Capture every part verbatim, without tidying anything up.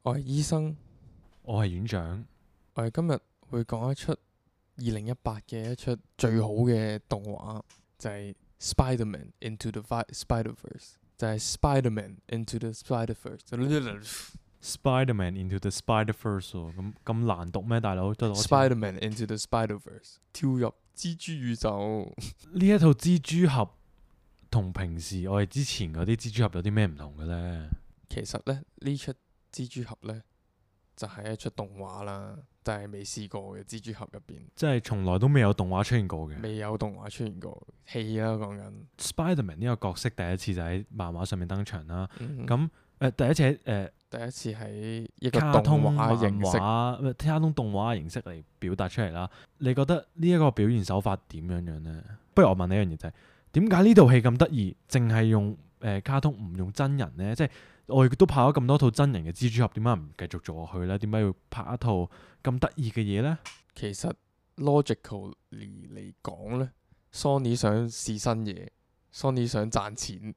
我係醫生，我係院長。我哋今日會講一出二零一八嘅一出最好嘅動畫，就係、是、Spider-Man Into the Spider-Verse， 就係 Spider-Man Into the Spider-Verse。 Spider-Man Into the Spider-Verse 喎，咁咁難讀咩，大佬？ Spider-Man Into the Spider-Verse， 跳入蜘蛛宇宙。呢一套蜘蛛俠同平時我哋之前嗰啲蜘蛛俠有啲咩唔同嘅呢？其實咧呢出蜘蛛俠咧就係、是、一出動畫啦，但係未試過嘅蜘蛛俠入邊，即係從來都未有動畫出現過嘅。未有動畫出現過戲啦，講緊 Spider-Man 呢個角色第一次就喺漫畫上面登場啦。咁誒、嗯嗯呃、第一次喺誒、呃、第一次喺一個卡通動漫畫形式。畫、呃卡通動畫形式嚟表達出嚟啦。你覺得呢一個表現手法點樣樣呢？不如我問你一樣嘢就係點解呢套戲咁得意，淨係用誒、呃、卡通唔用真人呢？即係我亦都拍咗咁多套真人嘅蜘蛛俠，點解唔繼續做落去呢？點解要拍一套咁得意嘅嘢呢？其實 logically 嚟講咧 ，Sony 想試新嘢，Sony 想賺錢，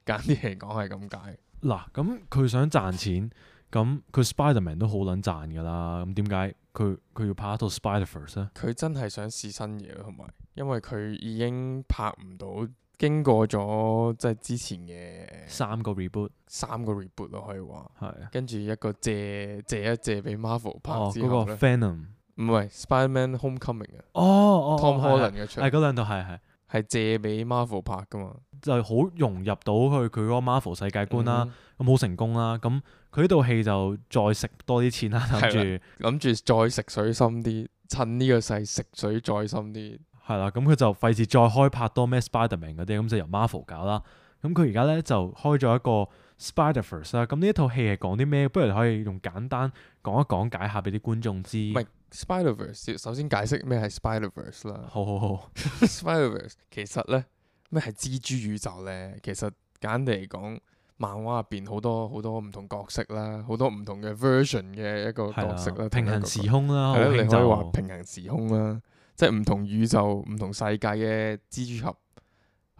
簡啲嚟講係咁解。嗱，咁佢想賺錢，咁佢 Spider-Man 都好撚賺㗎啦。咁點解佢佢要拍一套 Spider-Verse 咧？佢真係想試新嘢咯，同埋因為佢已經拍唔到，經過咗即係之前嘅三個 reboot 三個 reboot 咯，可以話。係啊。跟住一個借借一借俾 Marvel 拍哦，嗰個之後咧， Venom。唔係 Spider-Man Homecoming 啊哦哦，Tom 哦 Holland 嘅出係嗰兩套係係係借俾 Marvel 拍噶嘛。就係好融入到去佢嗰個 Marvel 世界觀啦。嗯咁好成功啦。咁佢呢套戲就再食多啲錢啦，諗住諗住再食水深啲，趁呢個勢食水再深啲。係啦。咁佢就費事再開拍多咩 Spider-Man 嗰啲，咁就由 Marvel 搞啦。咁佢而家咧就開咗一個 Spider-Verse 啦。咁呢一套戲係講啲咩？不如你可以用簡單講一講解下俾啲觀眾知。唔係 Spider-Verse，首先解釋咩係 Spider-Verse 啦。好好好。Spider-Verse 其實咧咩係蜘蛛宇宙咧？其實簡單嚟講，漫畫入邊好多好多唔同角色啦，好多唔同嘅 version 嘅一個角色啦，平行時空啦，係啦，好興你可以話就平行時空啦，即係唔同宇宙、唔同世界嘅蜘蛛俠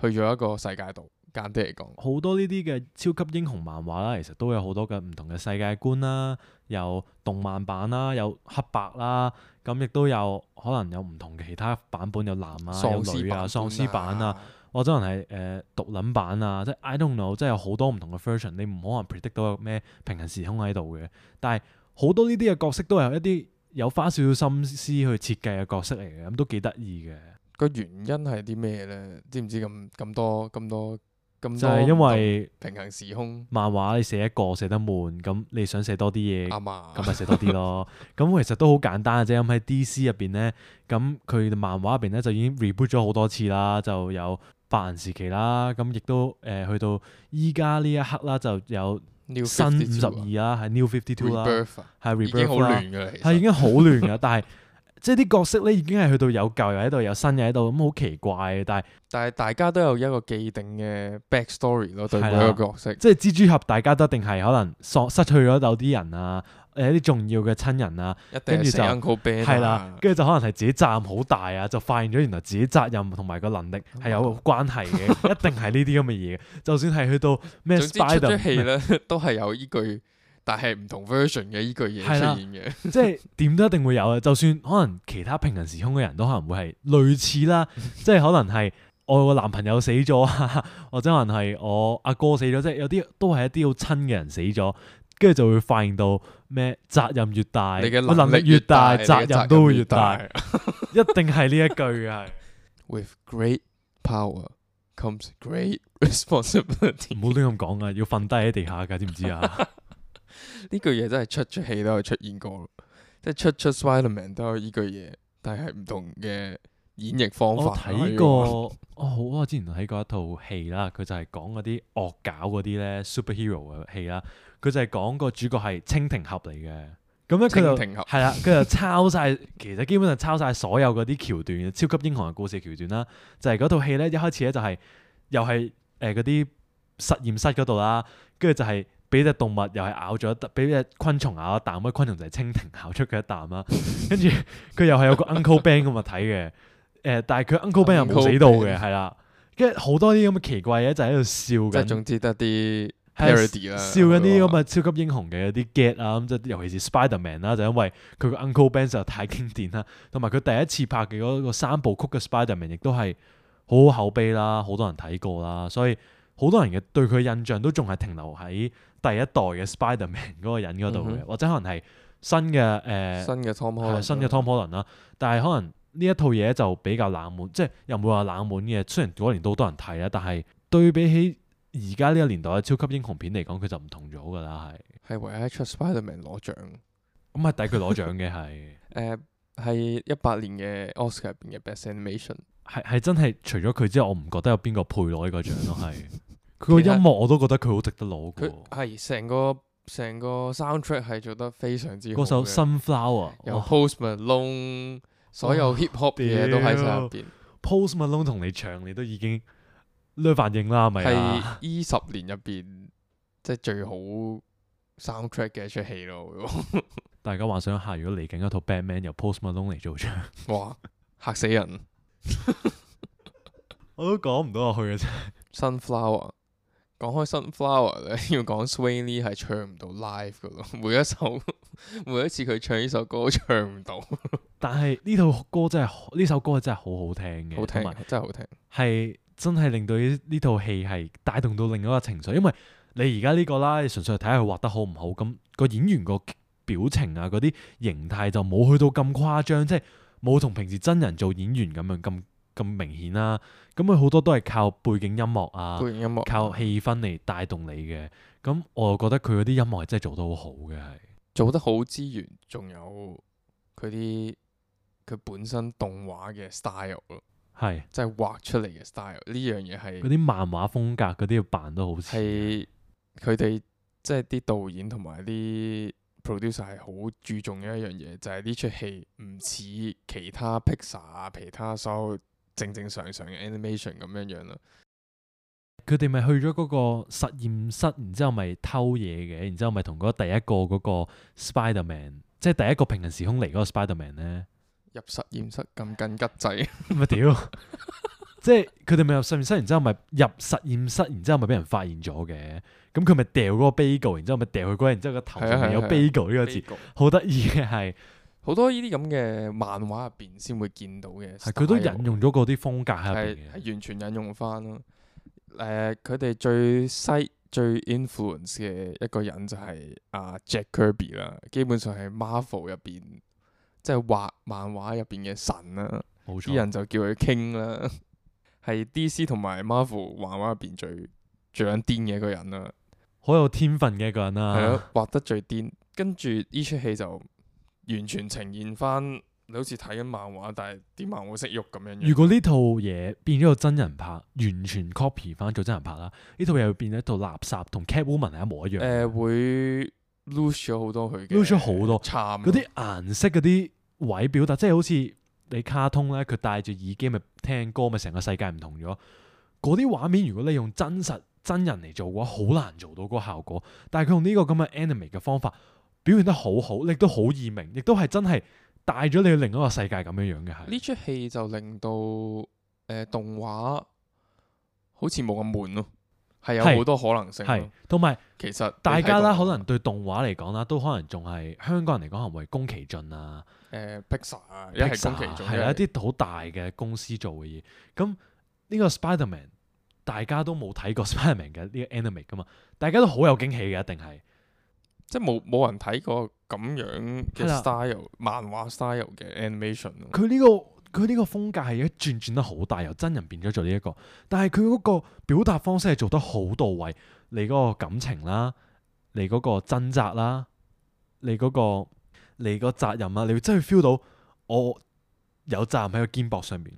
去咗一個世界度。簡單嚟講，好多呢啲嘅超級英雄漫畫啦，其實都有好多嘅唔同嘅世界觀啦，有動漫版啦，有黑白啦，咁亦都有可能有唔同嘅其他版本，有男啊，有女啊，喪屍版啊，或者可能係誒獨撚版啊，即係 I don't know，即係有好多唔同嘅 version，你唔可能 predict 到有咩平行時空喺度嘅。但係好多呢啲嘅角色都係一啲有花少少心思去設計嘅角色嚟嘅，咁都幾得意嘅。個原因係啲咩咧？知唔知咁咁多咁多？就係因為平行時空漫畫你寫一個寫得悶，咁你想寫多啲嘢，啱啊，咁咪寫多啲咯。咁其實都好簡單嘅啫。咁喺 D C 入邊咧，咁佢漫畫入邊咧就已經 reboot 咗好多次啦，就有白銀時期啦，咁亦都誒、呃、去到依家呢一刻啦，就有新五十二啦，係 New Fifty Two 啦，係 Rebirth 已經好 rebirth 啦，亂㗎啦，係已經好亂㗎，但係。即係啲角色咧已經係去到有舊又喺度，有新又喺度，咁好奇怪嘅。但係但係大家都有一個既定嘅 backstory 咯，對每一個角色。即係蜘蛛俠，大家都一定係可能喪失去咗有啲人啊，誒一啲重要嘅親人啊，跟住就係啦，跟住就可能係自己責任好大啊，就發現咗原來自己責任同埋個能力係有關係嘅，一定係呢啲咁嘅嘢。就算係去到咩 Spider，總之出咗戲咧都係有依句。但係唔同 version 嘅依句嘢出現嘅，即係點都一定會有嘅。就算可能其他平行時空嘅人都可能會係類似啦，即係可能係我個男朋友死咗啊，或者可能係我阿哥死咗，即係有啲都係一啲好親嘅人死咗，跟住就會發現到咩責任越大，你嘅能力越大，責任都會越大，一定係呢一句嘅係。With great power comes great responsibility。唔好亂咁講啊，要瞓低喺地下㗎，知唔知啊？呢句嘢真係出出戲都有出現過，即係出出 Spider-Man 都有呢句嘢，但係唔同嘅演繹方法。我睇過，哦好，我之前睇過一套戲啦，佢就係講嗰啲惡搞嗰啲咧 superhero 嘅戲啦，佢就係講個主角係蜻蜓俠嚟嘅，咁咧佢就係啦，佢就抄晒，其實基本上抄晒所有嗰啲橋段嘅超級英雄嘅故事橋段啦，就係嗰套戲咧一開始咧就係、是、又係誒嗰啲實驗室嗰度啦，跟住就係、是。俾隻動物又係咬咗一啖，俾隻昆蟲咬一啖，嗰昆蟲就係蜻蜓咬出嘅一啖啦。跟住佢又係有個 Uncle Ben 咁物體嘅，誒、呃，但係佢 Uncle Ben 又冇死到嘅，係啦。跟住好多啲咁嘅奇怪嘢就喺度笑緊。即係總之得啲 parody 啦，笑緊啲咁嘅超級英雄嘅一啲 get 啊，咁即係尤其是 Spider-Man 啦，就因為佢個 Uncle Ben 實在太經典啦，同埋佢第一次拍嘅嗰個三部曲嘅 Spider-Man 亦都係好好口碑啦，好多人睇過啦，所以好多人嘅對佢印象都仲係停留喺第一代嘅 Spider-Man 嗰個人嗰度嘅，嗯、哼或者可能係新嘅誒、呃、新嘅 Tom Holland 新嘅 Tom Holland 啦，但係可能呢一套嘢就比較冷門，即係又唔會話冷門嘅，雖然嗰年都好多人睇啦，但係對比起而家呢個年代嘅超級英雄片嚟講，佢就唔同咗㗎啦，係。係唯一一出 Spider-Man 攞獎，咁係抵佢攞獎嘅係。誒係一八年嘅 Oscar 入邊嘅 Best Animation。係係真係除咗佢之外，我唔覺得有邊個配攞呢個獎咯，係。佢個音樂我都覺得佢好值得攞嘅。佢係成個成個 soundtrack 係做得非常之好嘅。嗰首 Sunflower 由 Post Malone 所有 hip hop 嘢都喺晒入邊。Post Malone 同你唱，你都已經呢反應啦，係咪啊？係呢十年入邊即係最好 soundtrack 嘅一出戲咯。大家幻想下，如果嚟緊一套 Batman 由 Post Malone 嚟做唱，哇嚇死人！我都講唔到落去嘅啫。Sunflower 講開 Sunflower 咧，要講 Swae Lee 係唱唔到 live 噶咯，每一首每一次佢唱呢首歌都唱唔到。但係呢套歌真係呢首歌真係好好聽嘅，好聽真係好聽，係真係令到呢呢套戲係帶動到另一個情緒。因為你而家呢個啦，你純粹係睇下佢畫得好唔好，咁個演員個表情啊嗰啲形態就冇去到咁誇張，即係冇同平時真人做演員咁樣咁咁明顯啦。咁佢好多都係靠背景音樂啊，背景音樂靠氣氛嚟帶動你嘅。咁我又覺得佢嗰啲音樂係真係做得好好嘅，係做得好之餘，仲有佢啲佢本身動畫嘅 style 咯，係即係畫出嚟嘅 style。呢樣嘢係嗰啲漫畫風格嗰啲要扮得好似係佢哋即係啲導演同埋啲 producer 係好注重嘅一樣嘢，就係呢出戲唔似其他 Pixar 啊，其他所有正正常常嘅 animation 咁樣樣啦。佢哋咪去咗嗰個實驗室，然之後咪偷嘢嘅，然之後咪同嗰第一個嗰個 Spider-Man， 即係第一個平行時空嚟嗰個 Spider-Man 咧，入實驗室撳緊吉掣，咪屌！即係佢哋咪入實驗室，然之後咪入實驗室，然之後咪俾人發現咗嘅。咁佢咪掉嗰個 bagel，然之後咪掉佢嗰，然之後個頭上面有 bagel 呢個字，好得意嘅係。好多呢啲咁嘅漫畫入邊先會見到嘅，係佢都引用咗嗰啲風格喺入邊嘅，係完全引用翻咯。誒、呃，佢哋最西最 influence 嘅一個人就係阿、啊、Jack Kirby 啦，基本上係 Marvel 入邊即係畫漫畫入邊嘅神啦，啲錯人就叫佢 King 啦，係 D C 同埋 Marvel 漫畫入邊最最撚癲嘅一個人啦，好有天分嘅一個人啦，係咯，畫得最癲，跟住呢出戲就完全呈現翻。你好似睇緊漫畫，但係啲漫畫識喐咁樣。如果呢套嘢變咗個真人拍，完全 copy 翻做真人拍啦，呢套嘢會變咗一套垃圾，同 Catwoman 係一模一樣。誒、呃，會 lose 咗好多佢嘅，lose 咗好多。嗰啲顏色嗰啲位表達，即係好似你卡通咧，佢戴住耳機咪聽歌，咪成個世界唔同咗。嗰啲畫面如果你用真實真人嚟做嘅話，好難做到嗰個效果。但係佢用呢個咁嘅 anime 嘅方法，表現得好好，亦都好易明，亦都係真係。帶咗你去另一個世界咁樣樣嘅係，呢出戲就令到誒、呃、動畫好似冇咁悶咯，係有好多可能性。係，同埋其實大家啦，可能對動畫嚟講啦，都可能仲係香港人嚟講，可能為宮崎駿啊、誒、呃、Pixar 啊，一係宮崎駿，係一啲好大嘅公司做嘅嘢。咁呢個 Spider-Man 大家都冇睇過 Spider-Man 嘅呢個 anime 噶嘛，大家都好有驚喜嘅，一定係。即係冇冇人睇過咁樣嘅 style 漫畫 style 嘅 animation。佢呢個佢呢個風格係一轉轉得好大，由真人變咗做呢一個。但係佢嗰個表達方式係做得好到位，你嗰個感情啦，你嗰個掙扎啦，你嗰個你個責任啦，你會真係 feel 到我有責任喺個肩膊上面。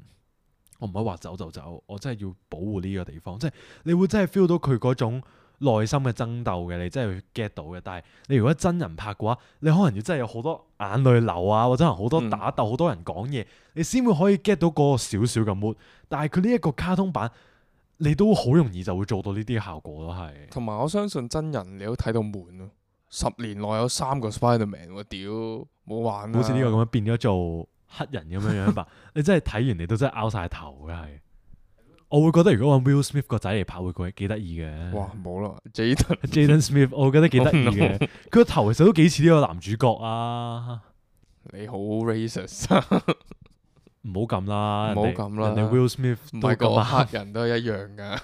我唔可以話走就走，我真係要保護呢個地方。即係你會真係 feel 到佢嗰種內心嘅爭鬥嘅，你真係會 get 到嘅。但係你如果真人拍嘅話，你可能要真係有好多眼淚流啊，或者可能好多打鬥，好、嗯、多人講嘢，你先會可以 get 到嗰個少少嘅 mood。但係佢呢一個卡通版，你都好容易就會做到呢啲效果咯，係。同埋我相信真人你都睇到悶咯。十年內有三個 Spider-Man， 我屌冇玩啦。好似呢個咁樣變咗做黑人咁樣樣吧？你真係睇完你都真係拗晒頭嘅係。我會覺得如果揾 Will Smith 個仔嚟拍，會佢幾得意嘅。哇，冇啦，Jaden Jaden Smith，我覺得幾得意嘅。佢個頭其實都幾似呢個男主角啊。你好 racist 啊！唔好咁啦，唔好咁啦，人哋 Will Smith 唔係個都咁黑人都係一樣噶。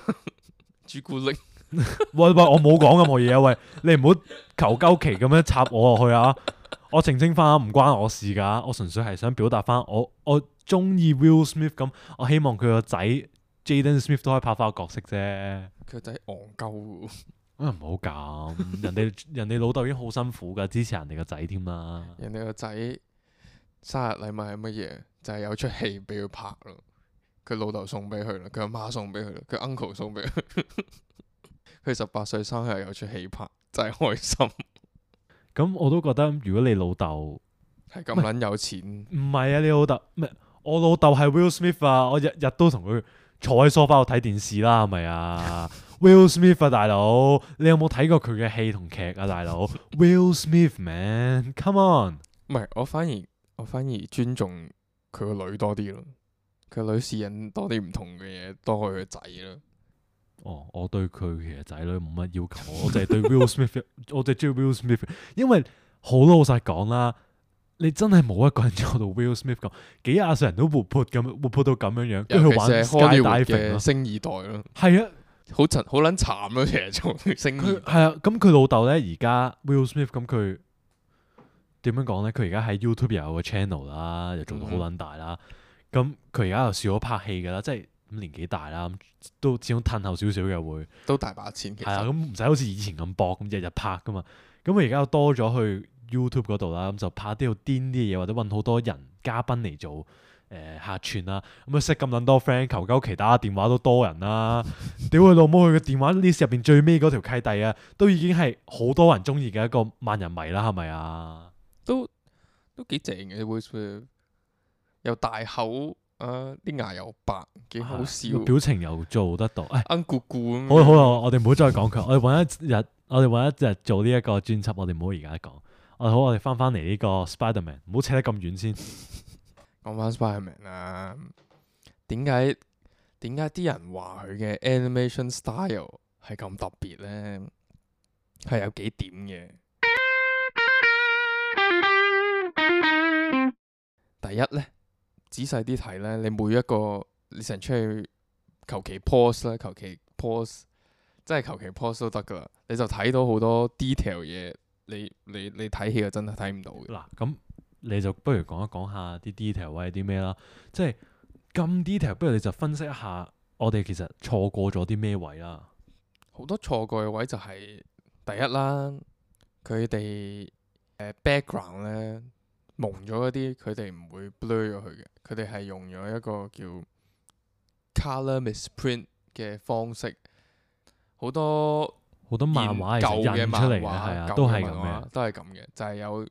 朱古力，喂喂，我冇講任何嘢啊！喂，你唔好求鳩其咁樣插我落去啊！我澄清翻，唔關我事噶，我純粹係想表達翻我我中意 Will Smith 咁，我希望佢個仔 Jaden Smith 都可以拍翻個角色啫。佢個仔戇鳩，啊唔好咁，人哋人哋老豆已經好辛苦噶，支持人哋個仔添啦。人哋個仔生日禮物係乜嘢？就係、是、有出戲俾佢拍咯。佢老豆送俾佢啦，佢阿媽送俾佢啦，佢 uncle 送俾佢。佢十八歲生日有出戲拍，真係開心。咁我都覺得，如果你老豆係咁撚有錢，唔係啊，你老豆咩？我老豆係 Will Smith 啊，我日日都同佢坐喺梳化度睇電視啦，係咪啊？Will Smith 啊，大佬，你有冇睇過佢嘅戲同劇啊，大佬？Will Smith man，come on。唔係，我反而我反而尊重佢個女多啲咯。佢個女試緊多啲唔同嘅嘢，多過佢個仔啦。哦，我對佢其實仔女冇乜要求，我淨係對 Will Smith，我淨係中意 Will Smith，因為好老實講啦，你真係冇一個人做到 Will Smith 咁，幾廿歲人都活潑咁，活潑到咁樣樣，跟住去玩 skydiving 嘅星二代咯。係啊，好慘，好撚慘咯，其實做星二代。係啊，咁佢老豆咧而家 Will Smith 咁佢點樣講咧？佢而家喺 YouTube 又有個 channel 啦，又做到好撚大啦。咁佢而家又少咗拍戲噶啦，即係。咁年紀大啦，都始終褪後少少嘅會，都大把錢。其實係啊，咁唔使好似以前咁搏，咁日日拍噶嘛。咁佢而家又多咗去 YouTube 嗰度啦，咁就拍啲好癲啲嘅嘢，或者揾好多人嘉賓嚟做誒、呃、客串啦。咁啊識咁撚多 friend，求鳩其打電話都多人啦。屌佢老母，佢嘅電話 list 入邊最尾嗰條契弟啊，都已經係好多人中意嘅一個萬人迷啦，係咪啊？都都幾正嘅 Will Smith，又大口。啊！啲牙又白，幾好笑，表情又做得到，誒，奀咕咕咁。好啦好啦，我哋唔好再講佢，我哋揾一日，我哋揾一日做呢一個專輯，我哋唔好而家講。我哋好，我哋翻翻嚟呢個 Spiderman，唔好扯得咁遠先。講翻 Spiderman 啊，點解點解啲人話佢嘅 animation style 係咁特別咧？係有幾點嘅。第一咧。仔細啲睇咧，你每一個你成出去求其 pose 啦，求其 pose，真係求其 pose 都得噶啦，你就睇到好多 detail 嘢，你你你睇戲就真係睇唔到嘅。嗱，咁你就不如講一講下啲 detail 位係啲咩啦？即係咁 detail，不如你就分析一下，我哋其實錯過咗啲咩位啦？好多錯過嘅位就係第一啦，佢哋誒 background 咧。蒙咗嗰啲，佢哋唔會 blur 咗佢嘅，佢哋係用咗一個叫 color misprint 嘅方式，好多好多漫畫係舊嘅漫畫，係啊，都係咁嘅，都係咁嘅，就係、是、有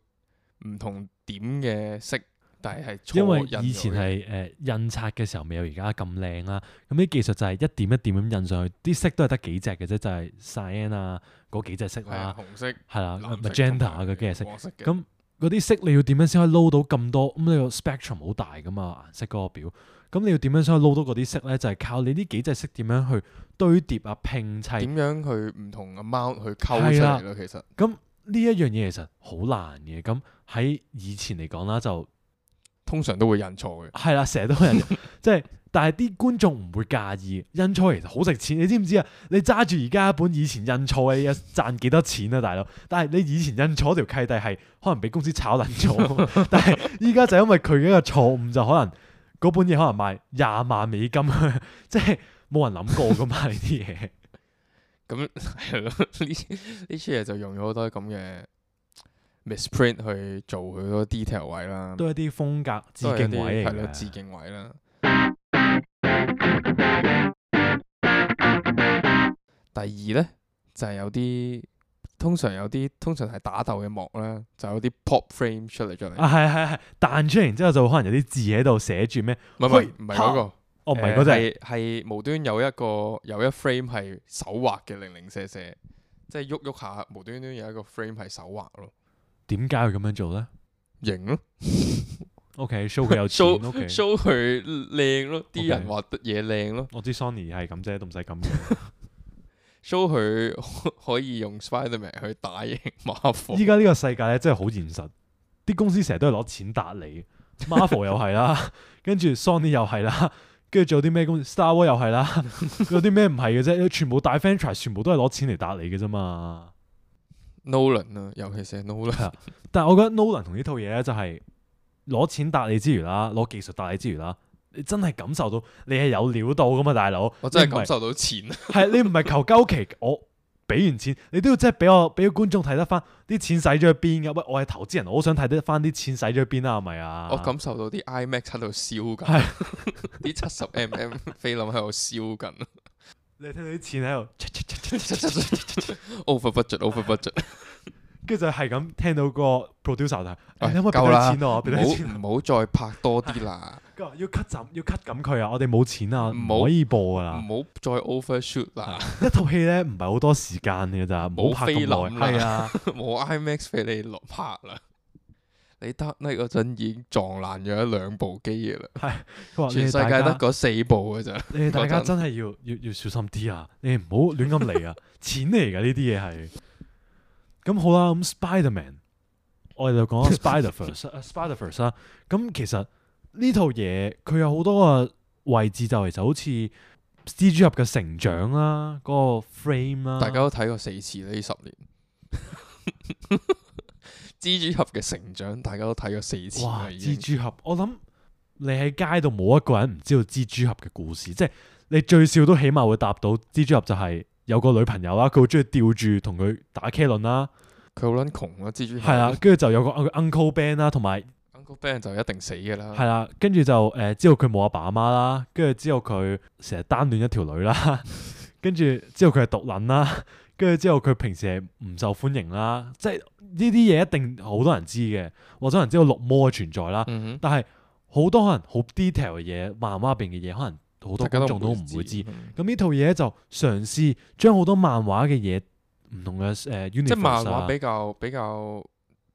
唔同點嘅色，但係係錯因為印以前係誒、呃、印刷嘅時候未有而家咁靚啦，咁啲技術就係一點一點咁印上去，啲色都係得幾隻嘅啫，就係、是、cyan 啊嗰幾隻色啦，紅色係啦 magenta 嗰幾隻色，咁。嗰啲色你要點樣先可以撈到咁多？咁你個 spectrum 好大噶嘛，顏色嗰個表。咁你要點樣先可以撈到嗰啲色咧？就係、是、靠你呢幾隻色點樣去堆疊啊、拼砌。點樣去唔同 amount 去溝出嚟咯？其實咁呢一樣嘢其實好難嘅。咁喺以前嚟講啦，就通常都會印錯嘅。係啦，成日都有人即係。但係啲觀眾唔會介意，印錯其實好值錢，你知唔知啊？你揸住而家一本以前印錯嘅嘢賺幾多錢啊，大佬？但係你以前印錯條契弟係可能俾公司炒撚咗，但係依家就因為佢嘅一個錯誤，就可能嗰本嘢可能賣廿萬美金，即係冇人諗過噶嘛呢啲嘢。咁係咯，呢呢出嘢就用咗好多咁嘅 misprint 去做佢嗰 detail 位啦，都係啲風格致敬位嚟嘅，係咯，致敬位啦。第二咧就係、是、有啲通常有啲通常係打鬥嘅幕啦，就有啲 pop frame 出嚟出嚟。啊係係係彈出嚟，然之後就可能有啲字喺度寫住咩？唔係唔係唔係嗰個，哦唔係嗰隻，係係、呃、無端有一個有一 frame 係手畫嘅零零舍舍，即係喐喐下無端端有一個 frame 係手畫咯。點解要咁樣做咧？型咯， OK，show 佢有錢 show ，OK， show 佢靚咯，啲 OK 人話得嘢靚咯我知 Sony 係咁啫，都唔使咁嘅。 ，show 佢可以用 Spiderman 去打贏 Marvel。依家呢個世界咧真係好現實，啲公司成日都係攞錢打你，Marvel 又係啦，跟住 Sony 又係啦，跟住仲有啲咩公司 Star Wars 又係啦，有啲咩唔係嘅啫？全部大 franchise 全部都係攞錢嚟打你嘅啫嘛。Nolan 啊，尤其是 Nolan。係啊，但係我覺得 Nolan 同呢套嘢咧就係攞錢打你之餘啦，攞技術打你之餘啦，你真係感受到你係有料到噶嘛，大佬。我真係感受到錢。係你唔係求鳩其，我俾完錢，你都要即係俾我俾個觀眾睇得翻啲錢使咗去邊噶。喂，我係投資人，我好想睇得翻啲錢使咗去邊啦，係咪啊？我感受到啲 IMAX 喺度燒緊，啲七十 mm 菲林喺度燒緊。你聽到啲錢喺度 over budget，over budget，跟住就係咁聽到個 producer 就喂你可唔可以俾夠啦啲錢我？俾啲錢我。唔好再拍多啲啦，佢話要 cut 斬，要 cut 緊佢啊！我哋冇錢啊，唔好唔可以播噶啦。唔好再 overshoot 啦，一套戲咧唔係好多時間嘅咋，唔冇好拍咁耐。菲林啦係啊，冇 IMAX 俾你落拍啦。你得呢嗰陣已經撞爛咗一兩部機嘅啦，佢話全世界得嗰四部嘅咋。你哋大家嗰陣真係要要要小心啲啊！你哋唔好亂咁嚟啊！錢嚟㗎呢啲嘢係。咁好啦，咁 Spiderman，我哋就講 Spider-Verse，Spider-Verse 啦。咁其實呢套嘢佢有好多個位置就其實好似蜘蛛俠嘅成長啦，嗰個 frame 啦。大家都睇過四次呢十年。蜘蛛俠嘅成長，大家都睇過四次哇！啦已經蜘蛛俠，我諗你喺街度冇一個人唔知道蜘蛛俠嘅故事，即係你最少都起碼會答到蜘蛛俠就係有個女朋友啦，佢好中意吊住同佢打茄輪啦，佢好撚窮啊！蜘蛛俠係啊，跟住就有個 Uncle Ben 啦，同埋 Uncle Ben 就一定死㗎啦。係啦，跟住就誒、呃、知道佢冇阿爸阿媽啦，跟住之後佢成日單戀一條女啦，跟住之後佢係毒撚啦，跟住之後佢平時係唔受歡迎啦，即係呢啲嘢一定好多人知嘅，或者人知道綠魔嘅存在啦，嗯哼，但係好多可能好 detail 嘅嘢，漫畫入邊嘅嘢，可能好多大家觀眾都唔會會知。嗯咁呢套嘢就嘗試將好多漫畫嘅嘢唔同嘅誒 universe 即係漫啊畫比較比較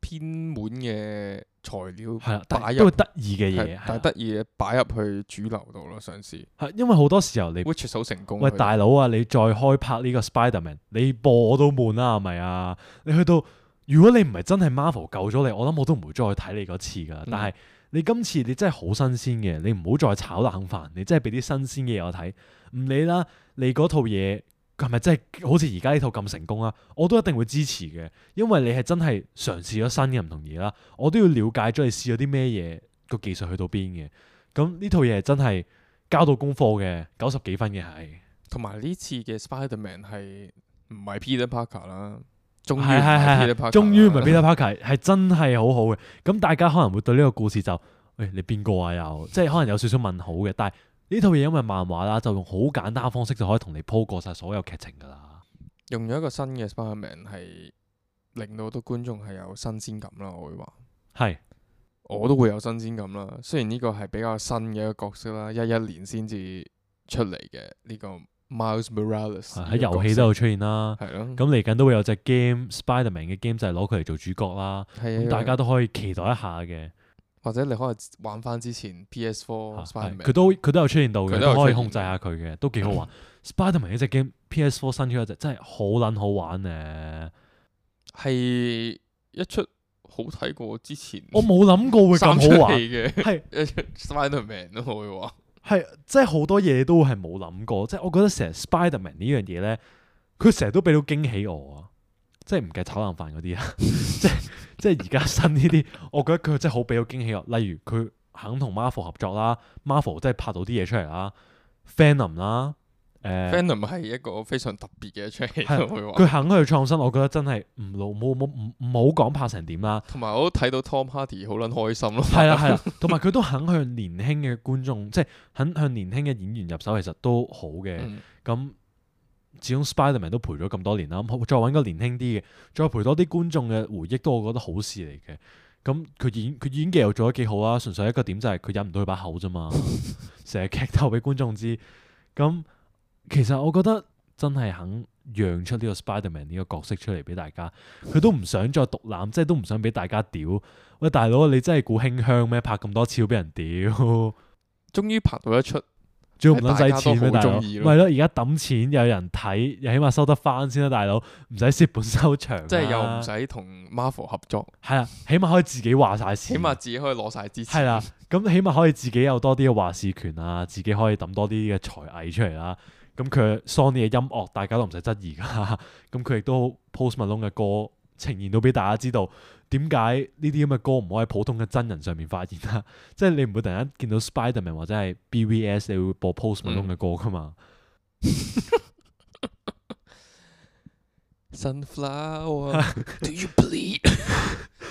偏門嘅材料係啦，但擺入係都係得意嘅嘢，係但係係啦得意嘅擺入去主流度咯，嘗試係因為好多時候你，which is 好成功。喂佢大佬啊，你再開拍呢個 Spiderman，你播我都悶啦，係咪啊？你去到如果你唔係真係 Marvel 救咗你，我諗我都唔會再去睇你嗰次噶。嗯但係你今次你真係好新鮮嘅，你唔好再炒冷飯，你真係俾啲新鮮嘅嘢我睇。唔理啦，你嗰套嘢係咪真係好似而家呢套咁成功啊？我都一定會支持嘅，因為你係真係嘗試咗新嘅唔同嘢啦。我都要了解咗你試咗啲咩嘢，個技術去到邊嘅。咁呢套嘢係真係交到功課嘅，九十幾分嘅係。同埋呢次嘅 Spiderman 係唔係 Peter Parker 啦？終於唔係係係係 Peter 係， Parker 終於唔係啦 Peter Parker，係真係好好嘅。咁大家可能會對呢個故事就，喂你邊個啊又，即係可能有少少問號嘅。但係呢套嘢因為漫畫啦，就用好簡單嘅方式就可以同你鋪過晒所有劇情㗎啦。用咗一個新嘅 Spiderman 係令到好多觀眾係有新鮮感啦，我會話。係我都會有新鮮感啦。雖然呢個係比較新嘅一個角色啦，一一年先至出嚟嘅呢個 Miles Morales 喺遊戲都有出現啦。係咯。咁嚟緊都會有隻 game Spiderman 嘅 game 就係攞佢嚟做主角啦。係啊，咁大家都可以期待一下嘅。或者你可以玩翻之前 P S Four 係 Spiderman，佢都佢都有出現到嘅，佢都有出現都可以控制下佢嘅，都幾好玩。Spiderman 呢隻 game P S Four 新出一隻真係好撚好玩咧。係一出好睇過之前我冇諗過會咁三出好玩，戲嘅係一出 Spiderman 咯，我會話。係即係好多嘢都係冇諗過，即係我覺得成日 Spiderman 呢樣嘢咧，佢成日都俾到驚喜我啊！即係唔計炒冷飯嗰啲啊，即係即係而家新呢啲，我覺得佢真係好俾到驚喜我。例如佢肯同 Marvel 合作啦，Marvel 真係拍到啲嘢出嚟啦，Venom 啦，誒 Venom 係一個非常特別嘅一出戲，係我會話。佢肯去創新，我覺得真係唔老冇冇唔唔好講拍成點啦。同埋我都睇到 Tom Hardy 好撚開心咯。係啦係啦，同埋佢都肯向年輕嘅觀眾，即係肯向年輕嘅演員入手，其實都好嘅。嗯咁始終 Spiderman 都陪咗咁多年啦，咁再揾個年輕啲嘅，再陪多啲觀眾嘅回憶，都我覺得好事嚟嘅。咁佢演佢演技又做得幾好啦，純粹一個點就係佢忍唔到佢把口啫嘛，成日劇透俾觀眾知。咁其實我覺得真係肯讓出呢個 Spider-Man 呢個角色出嚟俾大家，佢都唔想再獨攬，即係都唔想俾大家屌。喂，大佬你真係估輕香咩？拍咁多次都俾人屌，終於拍到一出。仲要唔撚使錢咩？大佬，咪係咯，而家抌錢有人睇，又起碼收得翻先啦，大佬，唔使蝕本收場，即係又唔使同 Marvel 合作，係啊，起碼可以自己話晒事，起碼自己可以攞晒支持，係啦，咁起碼可以自己有多啲嘅話事權啊，自己可以抌多啲嘅才藝出嚟啦。咁佢 Sony 嘅音樂大家都唔使質疑噶，咁佢亦都 Post Malone 嘅歌呈現到俾大家知道。點解呢啲咁嘅歌唔可以喺普通嘅真人上面發現啦？即係你唔會突然間見到 Spider-Man 或者係 B V S， 你會播 Post Malone 嘅歌噶嘛？ Sunflower Do you bleed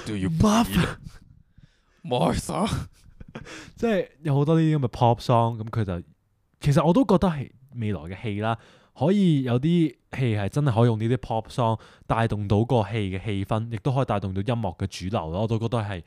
Do you bleed Martha 即係有好多呢啲咁嘅 pop song，咁佢就其實我都覺得係未來嘅戲啦。可以有啲戲係真係可以用呢啲 pop song 帶動到個戲嘅氣氛，亦都可以帶動到音樂嘅主流咯。我都覺得係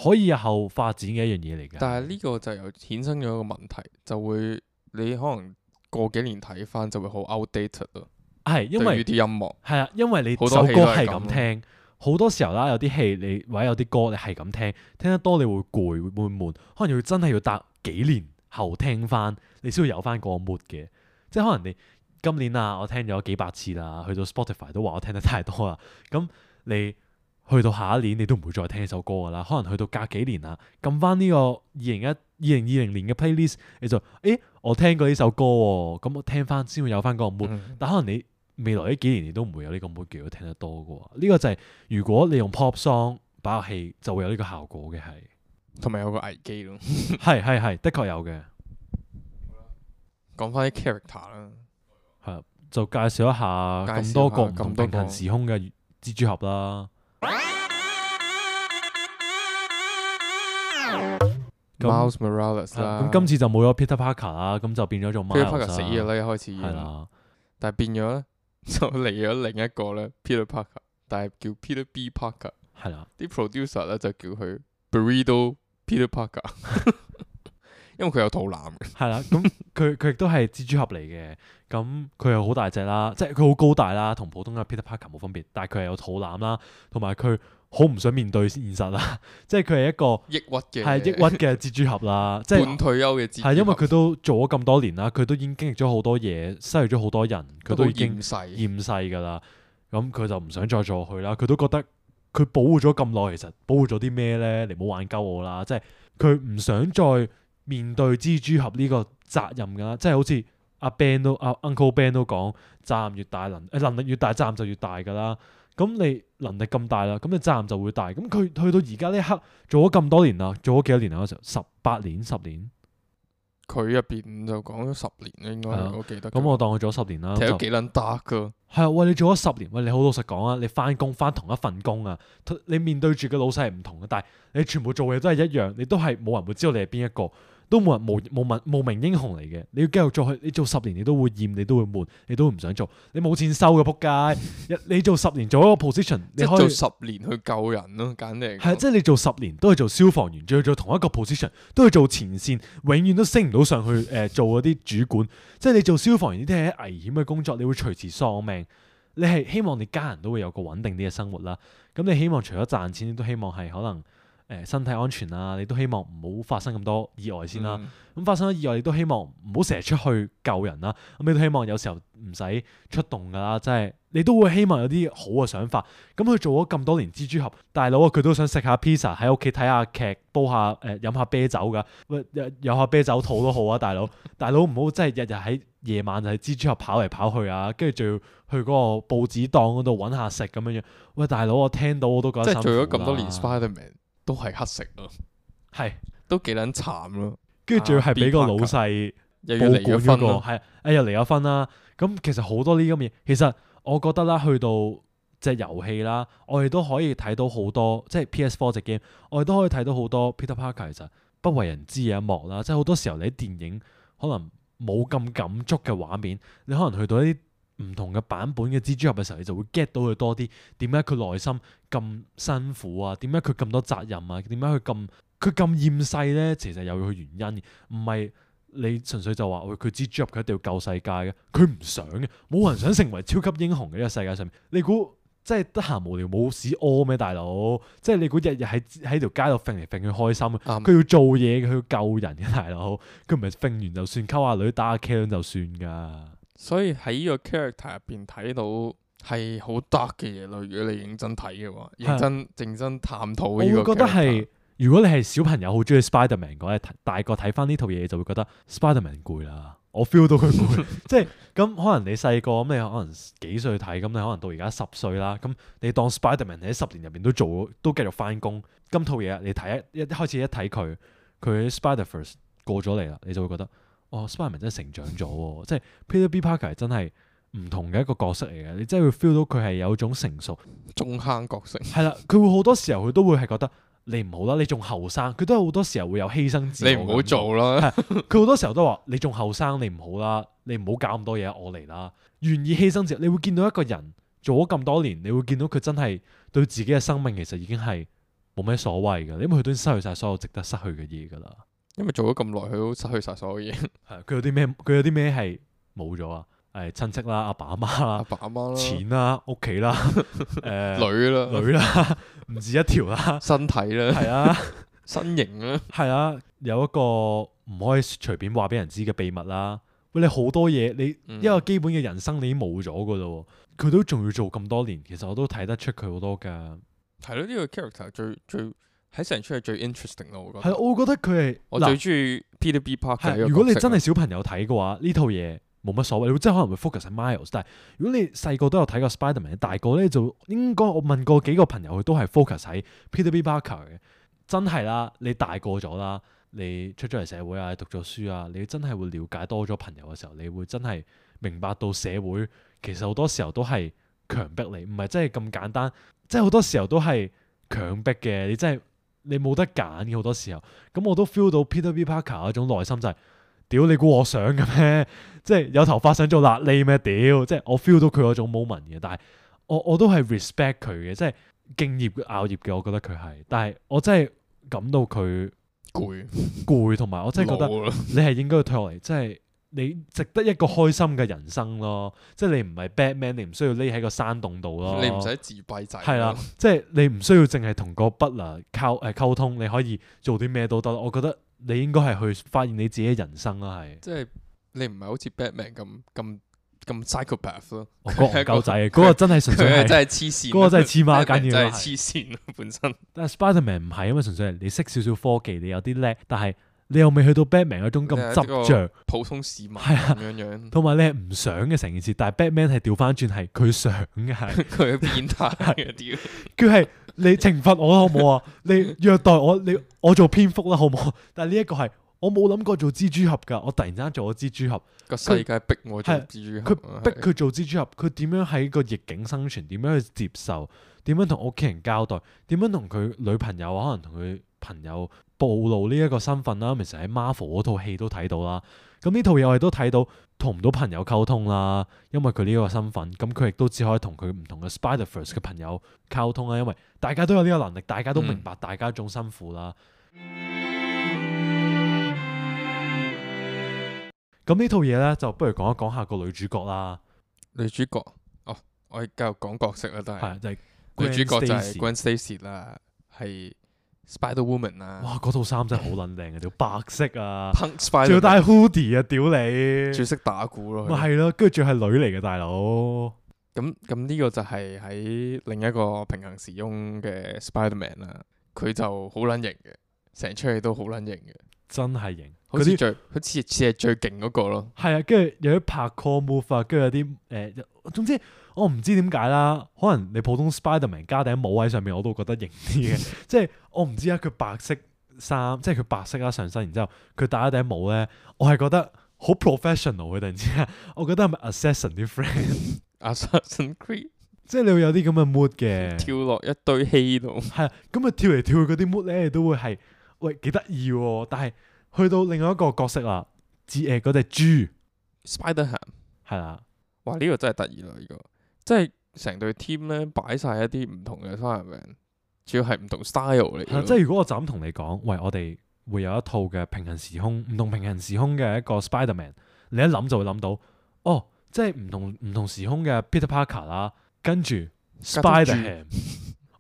可以日後發展嘅一樣嘢嚟嘅。但係呢個就又衍生咗一個問題，就會你可能過幾年睇翻就會好 outdated 咯。係因為啲音樂係啊，因為你首歌係咁聽，好多時候啦，有啲戲你或者有啲歌你係咁聽，聽得多你會攰會悶，可能要真係要隔幾年後聽翻，你先會有翻個 mood 嘅。即係可能你。今年啊，我聽咗幾百次啦，去到 Spotify 都話我聽得太多啦。咁你去到下一年，你都唔會再聽呢首歌噶啦。可能去到隔幾年啦，撳翻呢個二零一二零二零年嘅 playlist，你就誒我聽過呢首歌喎，咁我聽翻先會有翻嗰個 mood。嗯、但可能你未來呢幾年你都唔會有呢個 mood 叫佢聽得多嘅喎。呢、呢個就係如果你用 pop song 擺入戲，就會有呢個效果嘅係，同埋有個危機咯。係係係，的確有嘅。講翻啲 character 啦。係，就介紹一下咁多個唔同平行時空嘅蜘蛛俠啦。Miles Morales 啦，咁今次就冇咗 Peter Parker 啦，咁就變咗做 Miles。Peter Parker 死咗啦，一開始係啦，但係變咗咧，就嚟咗另一個咧 Peter Parker， 但係叫 Peter B Parker。係啦，啲 producer 咧就叫佢 Burrito Peter Parker。因為佢有肚腩嘅，係啦，咁佢佢亦都係蜘蛛俠嚟嘅，咁佢又好大隻啦，即係佢好高大啦，同普通嘅 Peter Parker 冇分別，但係佢係有肚腩啦，同埋佢好唔想面對現實啦，即係佢係一個抑鬱嘅，係抑鬱嘅蜘蛛俠啦，即係半退休嘅蜘蛛俠，係因為佢都做咗咁多年啦，佢都已經經歷咗好多嘢，失去咗好多人，佢都已經厭世㗎啦，咁佢就唔想再做佢啦，佢都覺得佢保護咗咁耐，其實保護咗啲咩咧？你唔好玩鳩我啦，即係佢唔想再面對蜘蛛俠呢個責任㗎啦，即係好似阿 Ben 都阿 Uncle Ben 都講，責任越大能誒能力越大，責任就越大㗎啦。咁你能力咁大啦，咁你責任就會大。咁佢去到而家呢一刻做咗咁多年啦，做咗幾多年啊？嗰時候十八年、十年。佢入邊就講咗十年啦，應該我記得。咁我當佢做咗十年啦。睇咗幾撚得㗎？係啊，喂！你做咗十年，喂！你好老實講啊，你翻工翻同一份工啊，你面對住嘅老細係唔同嘅，但係你全部做嘢都係一樣，你都係冇人會知道你係邊一個。都冇人無無名無名英雄嚟嘅，你要繼續做去，你做十年你都會厭，你都會悶，你都唔想做，你冇錢收嘅仆街。你做十年做一個 position，你可以做十年去救人咯，簡直係即係你做十年都係做消防員，仲要做同一個 position，都係做前線，永遠都升唔到上去誒、呃、做嗰啲主管。即係你做消防員呢啲係危險嘅工作，你會隨時喪命。你係希望你家人都會有個穩定啲嘅生活啦。咁你希望除咗賺錢，你都希望係可能。誒身體安全啊，你都希望唔好發生咁多意外先啦。咁、嗯、發生咗意外，你都希望唔好成日出去救人啦。咁你都希望有時候唔使出動噶啦，即係你都會希望有啲好嘅想法。咁佢做咗咁多年蜘蛛俠，大佬啊，佢都想食下 pizza，喺屋企睇下劇，煲下誒飲下啤酒噶。喂，有下啤酒肚都好啊，大佬。大佬唔好真係日日喺夜晚就係蜘蛛俠跑嚟跑去啊，跟住仲要去嗰個報紙檔嗰度揾下食咁樣樣。喂，大佬，我聽到我都覺得辛苦啦。即係做咗咁多年 Spiderman。都係乞食咯，係都幾撚慘咯，跟住仲要係俾個老細又要離咗婚咯，係誒又離咗婚啦。咁其實好多呢啲咁嘢，其實我覺得啦，去到隻遊戲啦，我哋都可以睇到好多，即係 P S 四 隻 game，我哋都可以睇到好多 Peter Parker 其實不為人知嘅一幕啦。即係好多時候你喺電影可能冇咁感觸嘅畫面，你可能去到一啲唔同嘅版本嘅蜘蛛俠嘅時候，你就會 get 到佢多啲。點解佢內心咁辛苦啊？點解佢咁多責任啊？點解佢咁佢咁厭世咧？其實有佢原因，唔係你純粹就話喂佢蜘蛛俠佢一定要救世界嘅，佢唔想嘅，冇人想成為超級英雄嘅呢個世界上面。你估即係得閒無聊冇屎屙咩大佬？即係你估日日喺喺條街度揈嚟揈去開心，佢、嗯、要做嘢嘅，佢要救人嘅大佬，佢唔係揈完就算，溝下女打下 K 就算㗎。所以喺呢個 character 入邊睇到係好 dark 嘅嘢咯。如果你認真睇嘅話，認真認真探討呢個 character，我會覺得係。如果你係小朋友好中意 Spiderman 嘅話，大個睇翻呢套嘢就會覺得 Spiderman 攰啦。我 feel 到佢攰，即係咁可能你細個咁，你可能幾歲睇，咁你可能到而家十歲啦。咁你當 Spiderman 喺十年入邊都做，都繼續翻工。今套嘢你睇一一開始一睇佢，佢 Spider-Verse 過咗嚟啦，你就會覺得哦 Spiderman 真係成長咗，即係 Peter B Parker 係真係唔同嘅一個角色嚟嘅。你真係會 feel 到佢係有一種成熟中坑角色。係啦，佢會好多時候佢都會係覺得。你唔好啦，你仲後生，佢都好多時候會有犧牲自我。你唔好做啦，佢好多時候都話你仲後生，你唔好啦，你唔好搞咁多嘢，我嚟啦，願意犧牲自我。你會見到一個人做咗咁多年，你會見到佢真係對自己嘅生命其實已經係冇咩所謂嘅，因為佢都失去晒所有值得失去嘅嘢噶啦。因為做咗咁耐，佢都失去晒所有嘢。係佢有啲咩？佢有啲咩係冇咗啊？誒，親戚啦，阿爸阿媽啦，阿爸阿媽啦，錢啦，屋企啦，誒，女啦，女啦，唔止一條啦，身體啦，係啊，身形啦，係啊，有一個唔可以隨便話俾人知嘅秘密啦。喂，你好多嘢，你一個基本嘅人生你已經冇咗噶啦，佢都仲要做咁多年，其實我都睇得出佢好多噶。係咯，呢個 character 最最喺成出係最 interesting 咯，我覺得。係，我會覺得佢係我最中意 Peter B Parker。如果你真係小朋友睇嘅話，呢套嘢。冇乜所謂，你真係可能會 focus 喺 Miles， 但係如果你細個都有睇過 Spiderman， 大個咧就應該我問過幾個朋友，佢都係 focus 喺 Peter B Parker 嘅。真係啦，你大個咗啦，你出咗嚟社會啊，讀咗書啊，你真係會了解多咗朋友嘅時候，你會真係明白到社會其實好多時候都係強迫你，唔係真係咁簡單，即係好多時候都係強迫嘅，你真係你冇得揀嘅好多時候。咁我都 feel 到 Peter B Parker 嗰種內心就係、是。屌你估我想嘅咩？即係有頭髮想做癩痢咩？屌！即係我 feel 到佢嗰種 moment 嘅，但係我我都係 respect 佢嘅，即係敬業熬業嘅，我覺得佢係。但係我真係感到佢攰攰，同埋我真係覺得你係應該要退落嚟，即係你值得一個開心嘅人生咯。即係你唔係 Batman， 你唔需要匿喺個山洞度咯。你唔使自閉仔。係啦，即係你唔需要淨係同個 butler 溝誒溝通，你可以做啲咩都得。我覺得。你應該係去發現你自己嘅人生啦，係。即係你唔係好似 Batman 咁咁咁 psychopath 咯。嗰個唔夠仔，嗰個真係純粹係真係黐線，嗰個真係黐孖筋嘅，真係黐線本身。但係 Spiderman 唔係，因為純粹係你識少少科技，你有啲叻，但係你又未去到 Batman 嗰種咁執着，普通市民係啊咁樣樣。同埋你係唔想嘅成件事，但係 Batman 係調翻轉係佢想嘅，係佢係變態嘅屌，佢係。你懲罰我好唔好啊？你虐待我，你我做蝙蝠啦，好唔好？但係呢一個係我冇諗過做蜘蛛俠噶，我突然間做咗蜘蛛俠，個世界逼我做蜘蛛俠，佢逼佢做蜘蛛俠，佢點樣喺個逆境生存？點樣去接受？點樣同屋企人交代？點樣同佢女朋友可能同佢朋友暴露呢一個身份啦？其實喺 Marvel 嗰套戲都睇到啦。咁呢套嘢我哋都睇到同唔到朋友溝通啦，因為佢呢個身份，咁佢亦都只可以同佢唔同嘅 Spider-Verse 嘅朋友溝通啦，因為大家都有呢個能力，大家都明白大家種辛苦啦。咁呢、嗯、套嘢咧，就不如講一講下個女主角啦。女主角，哦，我繼續講角色啦，都係。係就係、女主角就係 Gwen Stacy 啦，係。Spider-Woman 啊！哇，嗰套衫真係好撚靚嘅，條白色啊，仲要戴 hoodie 啊，屌你！最識打鼓咯，咪係咯，跟住仲係女嚟嘅大佬。咁咁呢個就係喺另一個平行時空嘅 Spider-Man 啦，佢就好撚型嘅，成出戲都好撚型嘅，真係型。好似最，好似似係最勁嗰個咯。係啊，跟住有啲拍 call move 啊，跟住有啲誒、呃，總之我唔知點解啦。可能你普通 Spiderman 加頂帽喺上面，我都覺得型啲嘅。即係我唔知啊，佢白色衫，即係佢白色啦上身，然之後佢戴一頂帽咧，我係覺得好 professional 嘅。突然之間，我覺得係咪 Assassin 啲 friend？Assassin Creed， 即係你會有啲咁嘅 mood 嘅，跳落一堆稀度。係啊，咁啊跳嚟跳去嗰啲 mood 咧，都會係喂幾得意喎，但係。去到另外一個角色啦，誒嗰隻豬 Spider-Ham 係啦，哇呢、這個真係得意啦呢個，即係成隊 team 咧擺晒一啲唔同嘅 Spider-Man，主要係唔同 style 嚟。即係如果我就咁同你講，喂我哋會有一套嘅平行時空，唔同平行時空嘅一個 Spider-Man， 你一諗就會諗到，哦，即係唔同唔同時空嘅 Peter Parker 啦，跟住 Spider-Ham。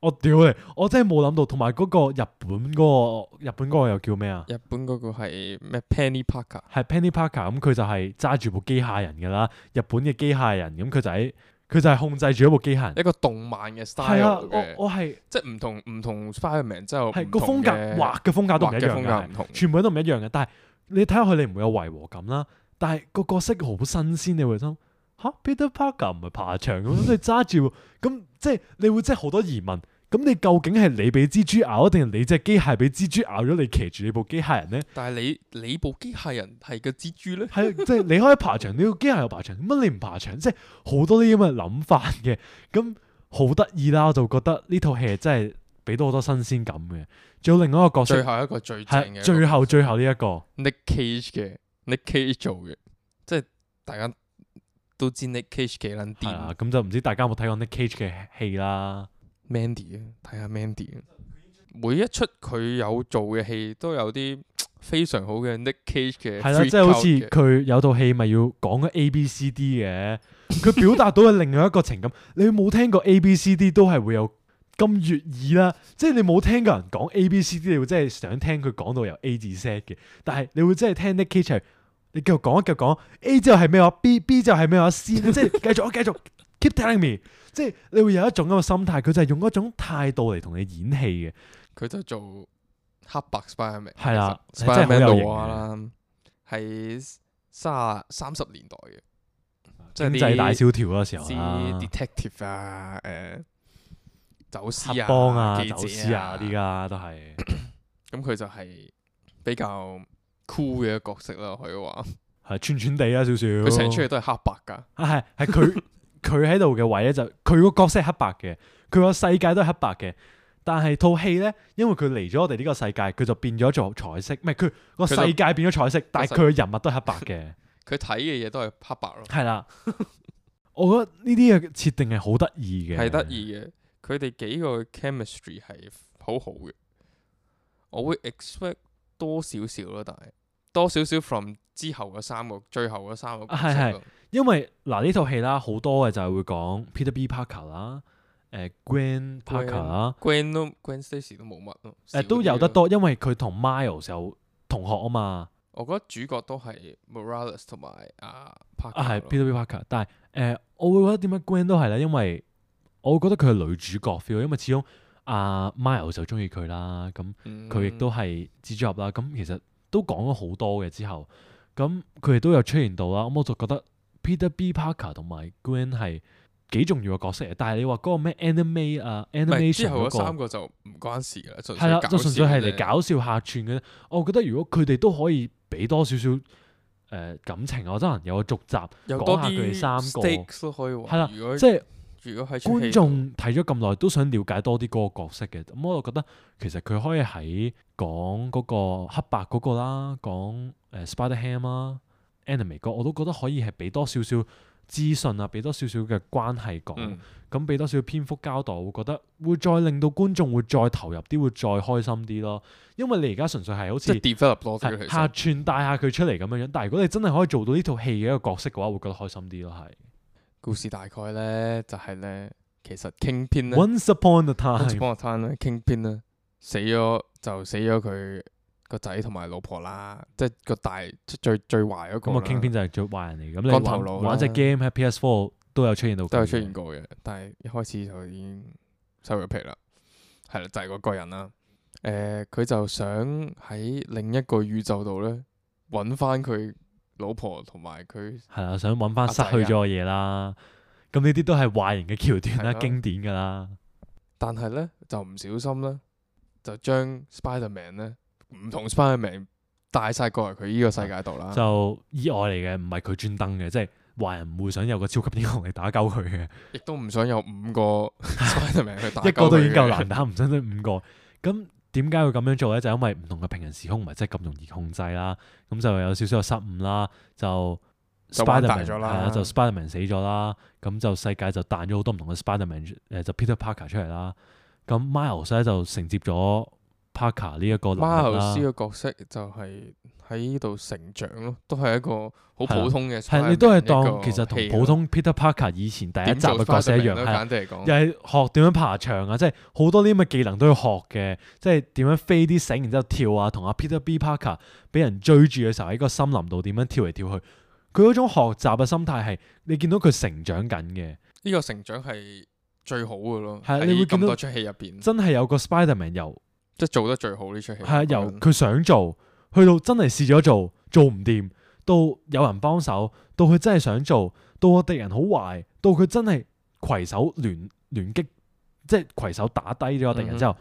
我屌你！我真係冇諗到，同埋嗰個日本嗰、個日本嗰個又叫咩啊？日本嗰個係咩 Penny Parker？係 Penny Parker，咁佢就係揸住部機械人㗎啦。日本嘅機械人，咁佢就喺佢就係控制住一部機械人。一個動漫嘅 style 係啊，嘅我我係即係唔同唔同 Spider-Man 之後係個風格畫嘅風格都唔一樣嘅，全部都唔一樣嘅。但係你睇下佢，你唔會有違和感啦。但係個角色好新鮮，你會諗吓 Peter Parker 唔係爬牆咁，你揸住咁即係你會即係好多疑問。咁你究竟係你俾蜘蛛咬，定係你隻機械俾蜘蛛咬咗？你騎住你部機械人咧？但係你你部機械人係個蜘蛛咧？係即係你可以爬牆，你個機械又爬牆，乜你唔爬牆？即係好多啲咁嘅諗法嘅，咁好得意啦！我就覺得呢套戲真係俾到好多新鮮感嘅。仲有另外一個角色，最後一個最正嘅，最後最後呢、這、一個 Nick Cage 嘅 Nick Cage 做嘅，即係大家都知 Nick Cage 幾撚掂。係啊，咁就唔知大家有冇睇過 Nick Cage 嘅戲啦。Mandy 啊，睇下 Mandy 啊，每一出佢有做嘅戲都有啲非常好嘅 Nick Cage 嘅。係啦，即係好似佢有套戲咪要講個 A B C D 嘅，佢表達到嘅另外一個情感。你冇聽過 A B C D 都係會有咁悅耳啦，即係你冇聽過人講 A B C D， 你會真係想聽佢講到由 A 至 Z 嘅。但係你會真係聽 Nick Cage 係，你繼續講一繼續講 A 之後係咩話 B B 之後係咩話 C， 即係繼續繼續 keep telling me。即係你會有一種咁嘅心態，佢就係用一種態度嚟同你演戲嘅。佢就做黑白 Spiderman，係啦，Spiderman 老話啦，係三三十年代嘅，即係經濟大蕭條嗰時候啦。detective 啊，誒，走私啊，黑幫啊，記者啊走私啊，啲家都係。咁佢就係比較 cool 嘅一個角色啦，可以話係串串地啊，少少。佢成出嚟都係黑白㗎。啊，係係佢。佢喺度嘅位咧就佢個角色係黑白嘅，佢個世界都係黑白嘅。但係套戲咧，因為佢嚟咗我哋呢個世界，佢就變咗做彩色。唔係佢個世界變咗彩色，但係佢嘅人物都係黑白嘅。佢睇嘅嘢都係黑白咯。係啦，我覺得呢啲嘅設定係好得意嘅，係得意嘅。佢哋幾個 chemistry 係好好嘅。我會 expect 多少少咯，但係多少少 from 之後嗰三個，最後嗰三個角色。係係。因為嗱呢套戲啦，好多嘅就係會講 Peter B Parker 啦，誒 Gwen Parker 啦 ，Gwen 都 Gwen Stacy 都冇乜咯，誒都有得多，因為佢同 Miles 有同學啊嘛。我覺得主角都係 Morales 同埋啊 Parker 啊係 Peter B Parker，但係誒、呃、我會覺得點解 Gwen 都係咧？因為我會覺得佢係女主角 feel，因為始終阿 Miles 就中意佢啦，咁佢亦都係蜘蛛俠啦，咁其實都講咗好多嘅之後，咁佢哋都有出現到啦，咁我就覺得。Peter B Parker 同埋 Gwen 係幾重要嘅角色嚟，但係你話嗰個咩 anime 啊 animation 之後嗰嗰三個就唔關事㗎啦，係啦，就純粹係嚟搞笑客串嘅。我覺得如果佢哋都可以俾多少少誒感情，我真係有個續集講下佢哋三個都可以話。係啦，即係如果係觀眾睇咗咁耐都想了解多啲嗰個角色嘅，咁我就覺得其實佢可以喺講嗰個黑白嗰個啦，講誒 Spider-Ham 啦。anime 個我都覺得可以係俾多少少資訊啊，俾多少少嘅關係講，咁俾、嗯、多少少篇幅交代，我會覺得會再令到觀眾會再投入啲，會再開心啲咯。因為你而家純粹係好似 develop 多啲，客串帶下佢出嚟咁樣樣。但係如果你真係可以做到呢套戲嘅一個角色嘅話，會覺得開心啲咯。係故事大概咧就係、是、咧，其實 Kingpin 咧 Once upon a time，Once upon a time 咧 Kingpin 咧死咗就死咗佢個仔同埋老婆啦，即係個大最最壞嗰個。咁啊，Kingpin就係最壞人嚟。咁你玩玩隻 game 喺 P S Four 都有出現到，都有出現過嘅。但係一開始就已經收咗皮啦。係啦，就係、是、嗰個人啦。誒、呃，佢就想喺另一個宇宙度咧揾翻佢老婆同埋佢。係啦，想揾翻失去咗嘅嘢啦。咁呢啲都係壞人嘅橋段啦，的經典㗎啦。但係咧就唔小心咧，就將 Spider-Man 咧。唔同 Spider-Man 帶晒過嚟佢呢個世界度啦，就意外嚟嘅，唔係佢專登嘅，即係壞人唔會想有個超級英雄嚟打鳩佢嘅，亦都唔想有五個 Spider-Man 去打鳩佢，一個都已經夠難打，唔想得五個。咁點解會咁樣做咧？就因為唔同嘅平行時空唔係真係咁容易控制啦，咁就有少少嘅失誤啦，就 Spider-Man 係啦，就 Spider-Man 死咗啦，咁就世界就彈咗好多唔同嘅 Spider-Man，誒就 Peter Parker 出嚟啦，咁 Miles 咧就承接咗 Parker 呢一個能力啦。Miles 嘅角色就係喺呢度成長咯，都係一個好普通嘅。係你都係當其實同普通 Peter Parker 以前第一集嘅角色一樣，係又係學點樣爬牆啊，即係好多啲咁嘅技能都要學嘅，即係點樣飛啲繩，然之後跳啊，同阿 Peter B Parker 俾人追住嘅時候喺個森林度點樣跳嚟跳去。佢嗰種學習嘅心態係你見到佢成長緊嘅。呢個成長係最好嘅咯。係你會見到咁多出戲入邊，真係有個 Spider-Man 由即係做得最好呢出戲。係啊，由佢想做，去到真係試咗做，做唔掂，到有人幫手，到佢真係想做，到個敵人好壞，到佢真係攜手聯聯擊，即係攜手打低咗個敵人之後，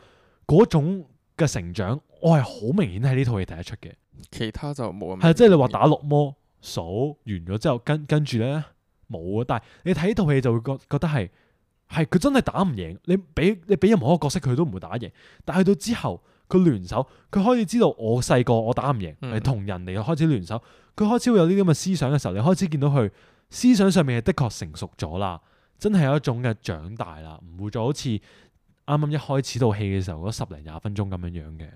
嗰、嗯、種嘅成長，我係好明顯喺呢套戲睇得出嘅。其他就冇咁。係即係你話打綠魔數完咗之後，跟跟住咧冇啊。但係你睇套戲就會覺覺得係係佢真係打唔贏。你俾你俾任何一個角色佢都唔會打贏。但係去到之後，佢聯手，佢開始知道我細個我打唔贏，係同、嗯、人哋開始聯手。佢開始會有呢啲咁嘅思想嘅時候，你開始見到佢思想上面係的確成熟咗啦，真係有一種嘅長大啦，唔會再好似啱啱一開始套戲嘅時候嗰十零廿分鐘咁樣樣嘅。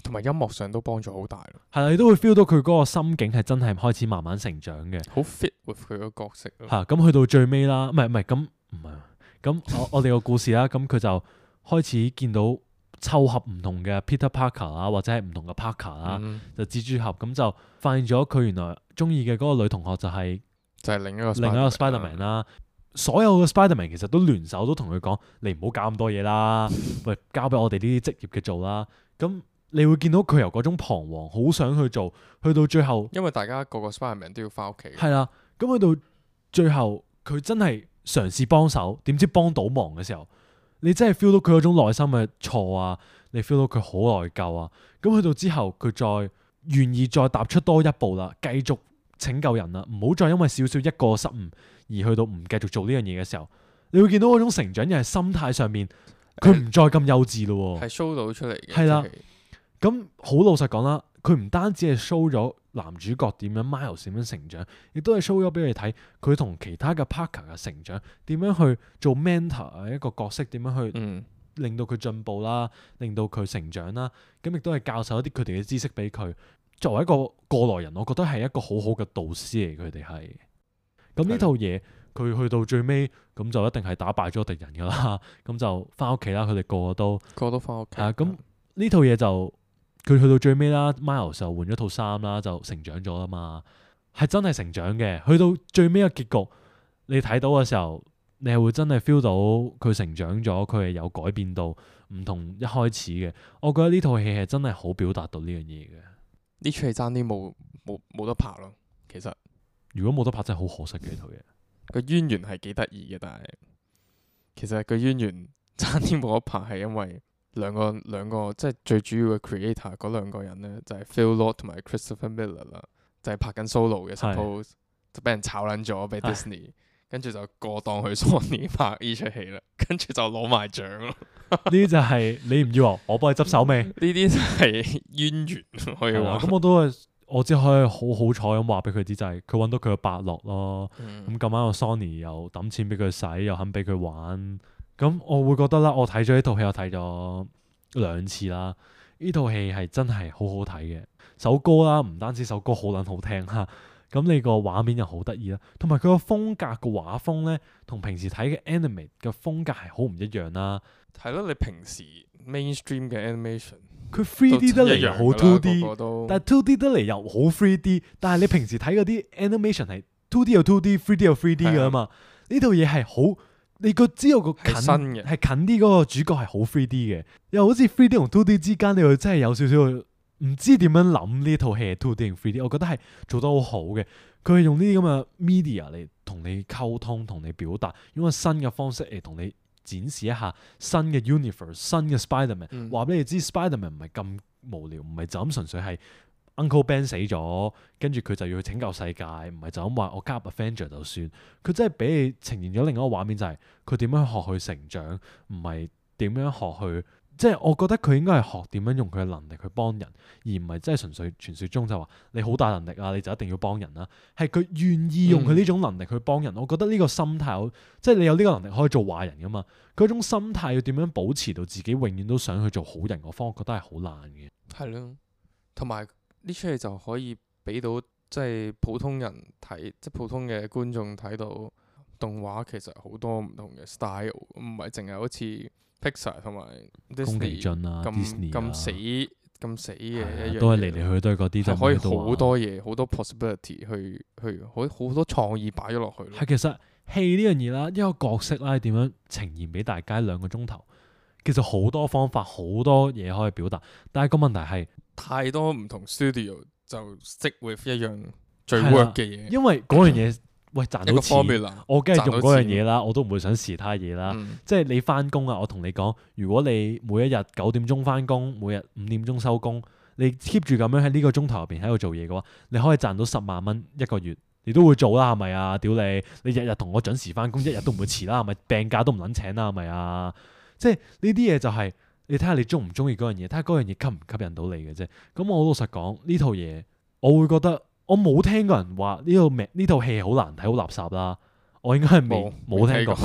同埋音樂上都幫助好大咯。係啦，你都會 feel 到佢嗰個心境係真係開始慢慢成長嘅，好 fit with 佢個角色咯。嚇咁去到最尾啦，唔係唔係咁唔係咁我我哋個故事啦，咁佢就開始見到湊合唔同嘅 Peter Parker 啦，或者係唔同嘅 Parker 啦、嗯，就蜘蛛俠咁就發現咗佢原來中意嘅嗰個女同學就係、是、就係另一個另一個 Spider-Man 啦。所有嘅 Spider-Man 其實都聯手都同佢講：你唔好搞咁多嘢啦，喂，交俾我哋呢啲職業嘅做啦。咁你會見到佢由嗰種彷徨，好想去做，去到最後，因為大家個個 Spider-Man 都要翻屋企。係啦，咁去到最後，佢真係嘗試幫手，點知幫到忙嘅時候，你真係 feel 到佢嗰種內心嘅錯啊，你 feel 到佢好內疚啊。咁去到之後，佢再願意再踏出多一步啦，繼續拯救人啦，唔好再因為少少一個失誤而去到唔繼續做呢樣嘢嘅時候，你會見到嗰種成長，又係心態上面，佢唔再咁幼稚咯，係 show 到出嚟嘅。係啦。咁好老實講啦，佢唔單止係 show 咗男主角點樣 Miles 點樣成長，亦都係 show 咗俾你睇佢同其他嘅 Parker 嘅成長，點樣去做 mentor 一個角色，點樣去令到佢進步啦，令到佢成長啦。咁亦都係教授一啲佢哋嘅知識俾佢。作為一個過來人，我覺得係一個好好嘅導師嚟，佢哋係。咁呢套嘢佢去到最尾，咁就一定係打敗咗敵人噶啦。咁就翻屋企啦，佢哋個個都個個都翻屋企。啊，咁呢套嘢就。佢去到最尾啦 ，Miles 就換咗套衫啦，就成長咗啦嘛，係真係成長嘅。去到最尾嘅結局，你睇到嘅時候，你係會真係 feel 到佢成長咗，佢係有改變到，唔同一開始嘅。我覺得呢套戲係真係好表達到呢樣嘢嘅。呢出戲爭啲冇冇冇得拍咯，其實。如果冇得拍，真係好可惜嘅呢套嘢。個淵源係幾得意嘅，但係其實個淵源爭啲冇得拍，係因為。兩個兩個即係最主要嘅 creator 嗰兩個人咧，就係、是、Phil Lord 同埋 Christopher Miller 啦，就係拍緊 solo 嘅 suppose，是就俾人炒撚咗俾 Disney，跟住就過檔去 Sony 拍呢出戲啦，跟住就攞埋獎咯。呢啲就係你唔要，我幫你執手尾。呢啲就係淵源可以話。咁我都係我只可以好好彩咁話俾佢知，就係佢揾到佢嘅伯樂咯。咁咁啱個 Sony 又抌錢俾佢使，又肯俾佢玩。咁我會覺得啦，我睇咗呢套戲，我睇咗兩次啦。呢套戲係真係好好睇嘅，首歌啦，唔單止首歌好撚好聽嚇，咁你個畫面又好得意啦，同埋佢個風格個畫風咧，同平時睇嘅 anime 嘅風格係好唔一樣啦。係咯，你平時 mainstream 嘅 animation，佢 three D 得嚟又好 two D，個個但係 two D 得嚟又好 three D，但係你平時睇嗰啲 animation 係 two D 又 two D，three D 又 three D 噶嘛？呢套嘢係好。你個知道個近係近啲嗰個主角係好 three D 嘅，又好似 three D 同 two D 之間，你又真係有少少唔知點樣諗呢套戲係 two D 同 three D。我覺得係做得好好嘅，佢係用呢啲咁嘅 media 嚟同你溝通、同你表達，用個新嘅方式嚟同你展示一下新嘅 universe、新嘅 Spider-Man，話俾、嗯、你知 Spider-Man 唔係咁無聊，唔係就咁純粹係。Uncle Ben 死咗，跟住佢就要去拯救世界，唔係就咁話我加入 Avenger 就算。佢真係俾你呈現咗另一個畫面，就係佢點樣學去成長，唔係點樣學去即係我覺得佢應該係學點樣用佢嘅能力去幫人，而唔係真係純粹傳説中就話你好大能力啊，你就一定要幫人啦。係佢願意用佢呢種能力去幫人，嗯、我覺得呢個心態好，即係你有呢個能力可以做壞人噶嘛。嗰種心態要點樣保持到自己永遠都想去做好人嗰方，我覺得係好難嘅。係咯，同埋呢出戲就可以俾到即係普通人睇，即係普通嘅觀眾睇到動畫其實好多唔同嘅 style，唔係淨係好似 Pixar 同埋 Disney 咁咁死咁死嘅一樣，都係嚟嚟去去都係嗰啲，就可以好多嘢，好多 possibility 去去好好多創意擺咗落去。係其實戲呢樣嘢啦，一個角色啦，點樣呈現俾大家兩個鐘頭，其實好多方法，好多嘢可以表達，但係個問題係太多唔同 studio 就 stick with 一樣最 work 嘅嘢，因為嗰樣嘢。喂，賺到錢，我梗係用嗰樣嘢啦，我都唔會想試他嘢啦。嗯、即係你翻工啊，我同你講，如果你每一日九點鐘翻工，每日五點鐘收工，你 keep 住咁樣喺呢個鐘頭入邊喺度做嘢嘅話，你可以賺到十萬蚊一個月，你都會做啦，係咪啊？屌你，你日日同我準時翻工，一日都唔會遲啦，係咪？病假都唔撚請啦，係咪啊？即係呢啲嘢就係、是、你睇下你中唔中意嗰樣嘢，睇下嗰樣嘢吸唔吸引到你嘅啫。咁我老實講呢套嘢，我會覺得。我冇聽過人話呢套呢套戲好難睇，好垃圾啦。我應該係未冇聽過，聽過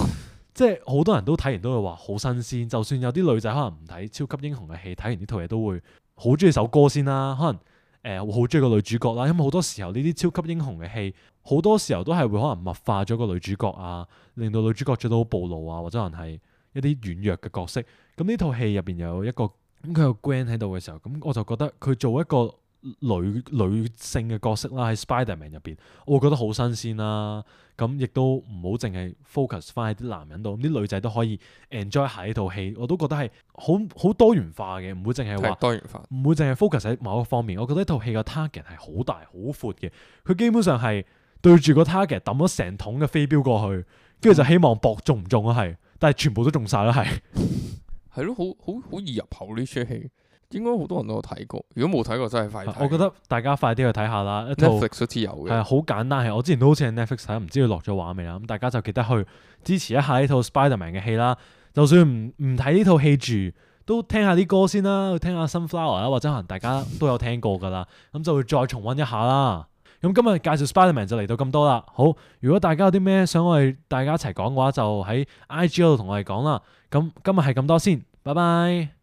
即係好多人都睇完都會話好新鮮。就算有啲女仔可能唔睇超級英雄嘅戲，睇完呢套嘢都會好中意首歌先啦。可能誒會好中意個女主角啦，因為好多時候呢啲超級英雄嘅戲，好多時候都係會可能物化咗個女主角啊，令到女主角做到好暴露啊，或者可能係一啲軟弱嘅角色。咁呢套戲入邊有一個咁佢有 Gwen 喺度嘅時候，咁我就覺得佢做一個。女女性嘅角色啦，喺 Spider-Man 入邊，我會覺得好新鮮啦。咁亦都唔好淨係 focus 翻喺啲男人度，啲女仔都可以 enjoy 下呢套戲。我都覺得係好好多元化嘅，唔會淨係話多元化，唔會淨係 focus 喺某一個方面。我覺得呢套戲嘅 target 係好大好闊嘅，佢基本上係對住個 target 抌咗成桶嘅飛鏢過去，跟住就希望搏中唔中啊，係，但係全部都中晒啦，係。係咯，好好好易入口呢出戲。應該好多人都有睇過，如果冇睇過真係快啲睇。我覺得大家快啲去睇下啦。Netflix 好似有嘅，係好簡單，係我之前都好似喺 Netflix 睇，唔知佢落咗畫未啦。咁大家就記得去支持一下呢套 Spider-Man 嘅戲啦。就算唔唔睇呢套戲住，都聽下啲歌先啦，聽下 Sunflower 啦，或者可能大家都有聽過噶啦，咁就會再重溫一下啦。咁今日介紹 Spider-Man 就嚟到咁多啦。好，如果大家有啲咩想我哋大家一齊講嘅話，就喺 I G 嗰度同我哋講啦。咁今日係咁多先，拜拜。